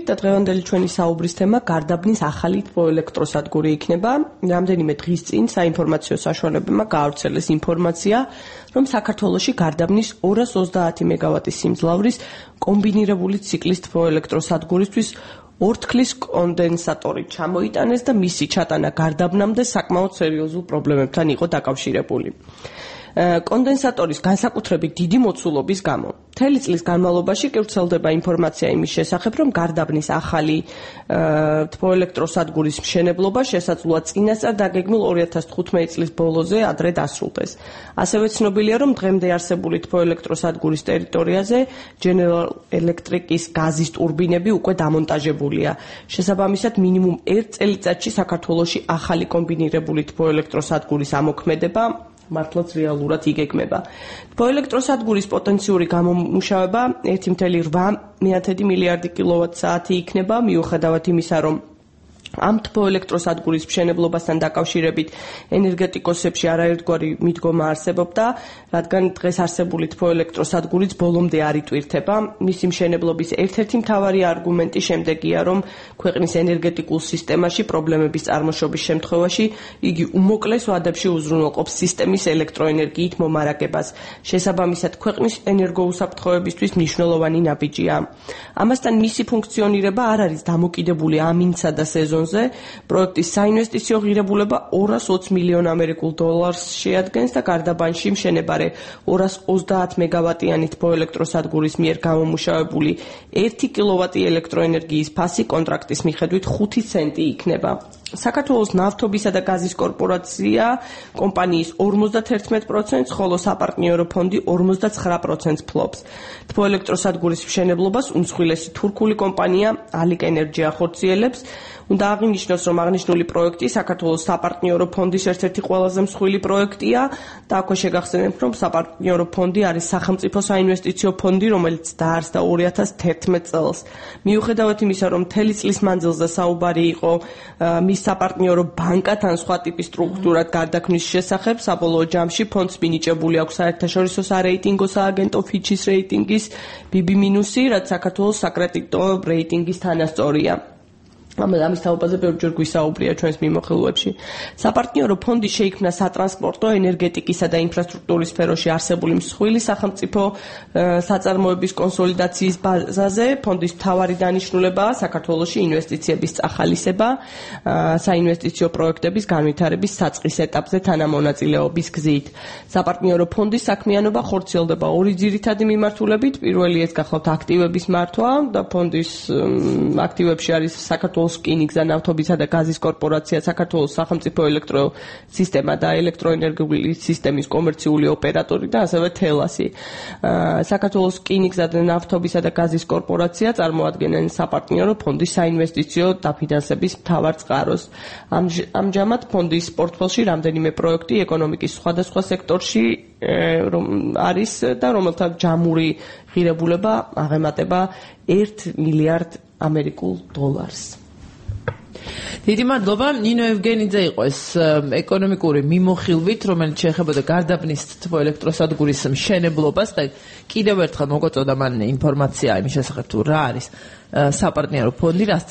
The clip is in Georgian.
და დღევანდელი ჩვენი საუბრის თემა გარდაბნის ახალი თბოელექტროსადგური იქნება. რამდენიმე დღის წინ საინფორმაციო საშუალებებმა გაავრცელეს ინფორმაცია, რომ საქართველოში გარდაბნის 230 მეგავატის სიმძლავრის კომბინირებული ციკლის თბოელექტროსადგურისთვის ორთქლის კონდენსატორი ჩამოიტანეს და მისი ჩატანა გარდაბნამდე საკმაოდ სერიოზულ პრობლემებთან იყო დაკავშირებული. კონდენსატორის განსაკუთრებით დიდი მოცულობის გამო. მთელი წლის განმავლობაში კი ვრცელდება ინფორმაცია იმის შესახებ, რომ გარდაბნის ახალი თბოელექტროსადგურის მშენებლობა შესაძლოა წინასწარ დაგეგმილ 2015 წლის ბოლოზე ადრე დასრულდეს. ასევე ცნობილია, რომ დღემდე არსებული თბოელექტროსადგურის ტერიტორიაზე General Electric-ის გაზის ტურბინები უკვე დამონტაჟებულია. შესაბამისად, მინიმუმ 1 წელიწადში საქართველოში ახალი კომბინირებული თბოელექტროსადგურის ამოქმედება მართლაც რეალურად იგეგმება. თბოელექტროსადგურის პოტენციური გამომუშავება 1,8 მილიარდი კილოვატ-საათი იქნება, მიუხედავად იმისა, რომ ამ თბოელექტროსადგურის მშენებლობასთან დაკავშირებით ენერგეტიკოსებში არაერთგვარი მიდგომა არსებობდა, რადგან დღეს არსებული თბოელექტროსადგურიც ბოლომდე არ იტვირთება. მისი მშენებლობის ერთ-ერთი მთავარი არგუმენტი შემდეგია, რომ ქვეყნის ენერგეტიკულ სისტემაში პრობლემების წარმოშობის შემთხვევაში იგი უმოკლეს ვადებში უზრუნველყოფს სისტემის ელექტროენერგიით მომარაგებას. შესაბამისად, ქვეყნის ენერგოუსაფრთხოებისთვის მნიშვნელოვანი ნაბიჯია. ამასთან მისი ფუნქციონირება არ არის დამოკიდებული ამინსა და სეზონზე. პროექტის საინვესტიციო ღირებულება 220 მილიონ ამერიკულ დოლარს შეადგენს და გარდაბანში მშენებარე 230 მეგავატიანი თბოელექტროსადგურის მიერ გამომუშავებული 1 კილოვატი ელექტროენერგიის ფასი კონტრაქტის მიხედვით 5 ცენტი იქნება. საქართველოს ნავთობისა და გაზის კორპორაცია კომპანიის 51%, ხოლო საპარტნიორო ფონდი 49% ფლობს. თბოელექტროსადგურის მშენებლობას უმსხვილესი თურქული კომპანია Alik Energy ახორციელებს. უნდა აღინიშნოს, რომ აღნიშნული პროექტი საქართველოს საპარტნიორო ფონდის ერთ-ერთი ყველაზე მსხვილი პროექტია და აქვე შეგახსენებთ, რომ საპარტნიორო ფონდი არის სახელმწიფო საინვესტიციო ფონდი, რომელიც დაარსდა 2011 წელს. მიუხედავად იმისა, რომ მთელი წლის მანძილზე საუბარი იყო მის საპარტნიორო ბანკთან სხვა ტიპის სტრუქტურად გარდაქმნის შესახებ, საბოლოო ჯამში ფონდს მინიჭებული აქვს საერთაშორისო სარეიტინგო სააგენტო Fitch-ის რეიტინგის BB-, რაც საქართველოს საკრედიტო რეიტინგის თანასწორია. ამის თაობაზე ბევრჯერ გვისაუბრია ჩვენს მიმოხილვებში. საპარტნიორო ფონდი შეიქმნა სატრანსპორტო, ენერგეტიკისა და ინფრასტრუქტურის სფეროში არსებული მსხვილი სახელმწიფო საწარმოების კონსოლიდაციის ბაზაზე. ფონდის მთავარი დანიშნულებაა საქართველოში ინვესტიციების წახალისება, საინვესტიციო პროექტების განვითარების საწყის ეტაპზე თანამონაწილეობის გზით. საპარტნიორო ფონდის საქმიანობა ხორციელდება ორი ძირითადი მიმართულებით. პირველი ეს გახლავთ აქტივების მართვა და ფონდის აქტივებში არის საქართველოს რკინიგზა, ნავთობისა და გაზის კორპორაცია, საქართველოს სახელმწიფო ელექტროსისტემა და ელექტროენერგიული სისტემის კომერციული ოპერატორი და ასევე თელასი. საქართველოს რკინიგზა და ნავთობისა და გაზის კორპორაცია წარმოადგენენ საპარტნიორო ფონდის საინვესტიციო დაფინანსების მთავარ წყაროს. ამჟამად ფონდის პორტფელში რამდენიმე პროექტი ეკონომიკის სხვადასხვა სექტორში არის და რომელთა ჯამური ღირებულება აღემატება 1 მილიარდ ამერიკულ დოლარს. დიდი მადლობა. ნინო ევგენიძე იყო ეს ეკონომიკური მიმოხილვით, რომელიც შეეხებოდა გარდაბნის თბოელექტროსადგურის მშენებლობას და კიდევ ერთხელ მოგაწოდა მან ინფორმაცია იმის შესახებ, თუ რა არის საპარტნიორო ფონდი, რაც